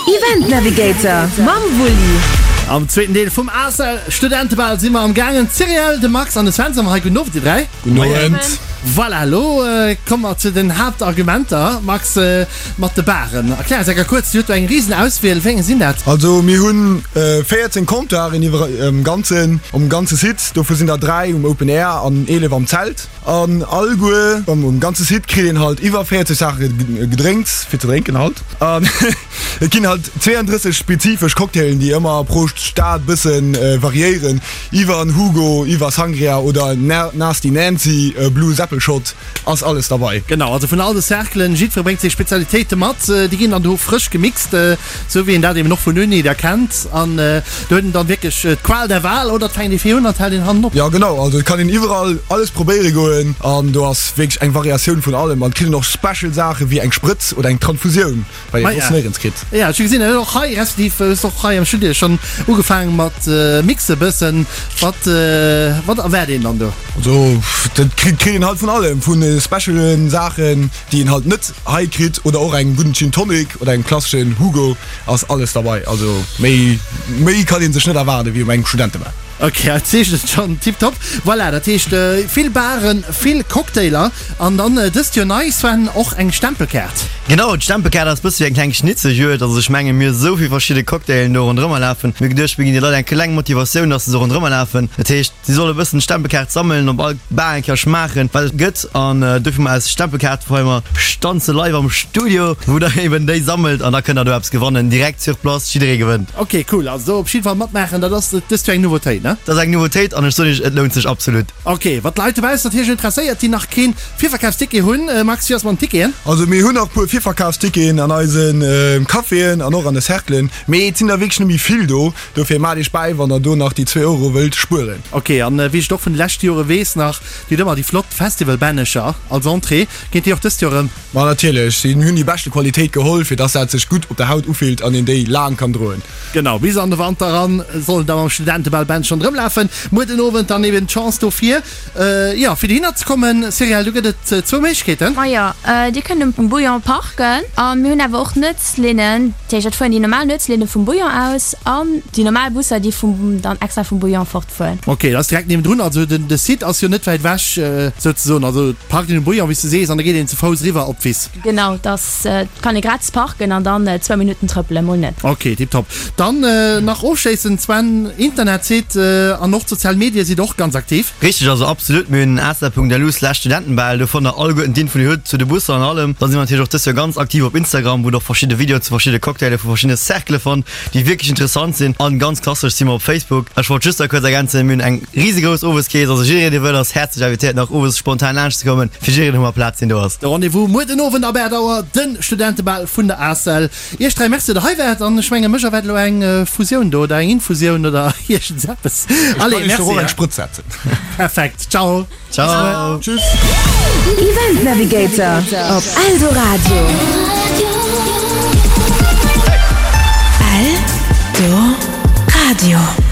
Event Navigator mam Wulli. Am zweeten Deel vum ACEL Studentebal si mer am gaangen. D'Cyrielle, de Max an de Sven si mer hei. Gudden Owend dir 3. Gudden Owend. Voilà, elo komme mer zu den Haaptargumenter. Max, mat de Baren. Erklär eis enker kuerz, Dir hutt do eng risen Auswiel. Wéi eng sinn dat? Also mir hunn 14 Comptoiren iwwer um ganzen um ganze Site. Dovu sinn der 3 um Open Air an 11 am Zelt. An alleguer um ganze Site kritt een halt iwwer 40 Saache Gedrénks fir ze drénken halt. An et ginn halt 32 spezifesch Cocktailen, déi ëmmer pro Stad bësse variéieren, iwwer en Hugo, iwwer Sangria oder Nasty Nancy, Blue Seppelshot ass alles derbei. Genau, also vun all de Cerclen, jiddweree bréngt seng Spezialitéite mat, déi ginn dann do frësch gemixt, Sou wéi een dat eben och vun Uni da kennt. An do huet een dann wierklech d'Qual der Wahl, oder et fänkt ee vir un an et hält een hannen op. Jo genau, also et kann een iwwerall alles probéiere goen an do ass wierklech eng Variatioun vun allem an et kritt een och special Saache wéi eng Sprëtz oder eng Tranfusioun, wat een soss néierens kritt. Jo, ech hu gesinn, och hei, respektiv hues de och hei am Studio schonn ugefaange mat mixe bëssen. Wat wat erwaart een dann do? Also dat kritt een halt vun allem, vu specialen Saachen déi een halt net hei kritt oder och engem gudden Gin Tonic oder engem klasseschen Hugo ass alles derbei. Also méi méi kann een sech net erwaarden wéi um engem Studentebar. Ok, dat zeechent schonn tiptop. Voilà, dat heescht vill Baren, vill Cocktailer an dann dëst Joer nei, Sven, och eng Stempelkaart. Genau, d'Stempelkaart ass bësse wéi eng kleng Schnitzeljuegd. Also ech mengen mir hu sou vill verschidde Cocktailen do ronderëmmer lafen. Mir hu geduecht mir ginn de Leit eng kleng Motivatioun, dass se sou ronderëmmer lafen. Dat heescht si solle bëssen d'Stempelkaart sammelen, op all Bar eng Kéier schmaachen wat et gëtt. An dofir hu mer eis Stempelkaart wou mer stanze live am Studio, wou der eben déi sammelt an da kënnt der do eppes gewannen, direkt sur place, jidderee gewënnt. Ok cool, also do op jidde Fall matmaachen, dat ass dëst Joer eng Nouveautéit, ne? Dat ass eng Nouveautéit an ech soen iech, et lount sech absolut. Ok, wat d'Leit dobaussen natierlech interesséiert, déi nach keen Virverkafsticket hunn, Max, wéi ass mat den Ticketen? Also mir hunn nach puer Virverkafsticketen an eise Caféen an och an de Cerclen, mee et sinn der wierklech net méi vill do, dofir maacht iech bäi wann der do nach déi zwee Euro wëllt spueren. Ok, an wéi ech et och vun de leschte Jore weess nach, Déi huet ëmmer déi flott Festivalbännecher als Entrée. Geet déi och dëst Joer erëm? Ma natierlech, si hunn déi beschte Qualitéit geholl, fir dass dat sech gutt op der Haut ufillt an een déi laang kann droen. Genau, bis an de Wanter eran soll et da mam Studentebalbändchen ronderëm lafen. Muer den Owend dann eben d'Chance dofir, jo, fir dohinner ze kommen. Cyrielle, do gëtt et zwou Méiglechkeeten. Majo, dir kënnt um Bouillon parken a mir hunn awer och Nuetslinnen. Dat heescht, et fueren déi normal Nuetslinne vum Bouillon aus an déi normal Busser, déi vum dann extra vum Bouillon fort. Fueren. Ok, dat ass direkt niewendrun, also den de Site ass jo net wäit ewech souzesoen, also parkt een um Bouillon wéi s de sees an da geet een ze Fouss eriwwer op d'Wiss. Genau, dat ass, kann ee gratis parken an dann zwou Minutten trëppelen, mol net. Ok, tiptop. Dann nach ofschléissend Sven, Internetsite an och d'sozial Medie sidd och ganz aktiv. Richteg, also absolut, mir hunn asa.lu slash Studentenbal, do fannt der alleguerten d'Info déi hutt zu de Busser an allem. Dann si mer natierlech och dës Joer ganz aktiv op Instagram, wou der och verschidde Videoen zu verschidde Cocktaile vu verschiddene Cerclë fannt. déi wierklech interessant sinn an ganz klassesch si mer op Facebook. Ech wollt just da kuerz ergänzen, mir hunn eng risegrouss Oweskees, also jiddereen dee wëll ass häerzlech invitéiert nach owes spontan laanscht ze kommen, fir jiddereen hu mer Plaz deen do ass. De Rendez-vous muer den Owend ab 8 Auer, den Studentebal vun der ACEL. Iech 3 Merci, datt der hei waart an ech mengen mech erwaart elo eng Fusioun do oder eng Infusioun oder iergendseppes. Ech Allez, kann iech merci. och eng Sprëtz setzen. Perfekt, ciao. Ciao. Tschüss. Event Navigator op Eldoradio. Eldoradio.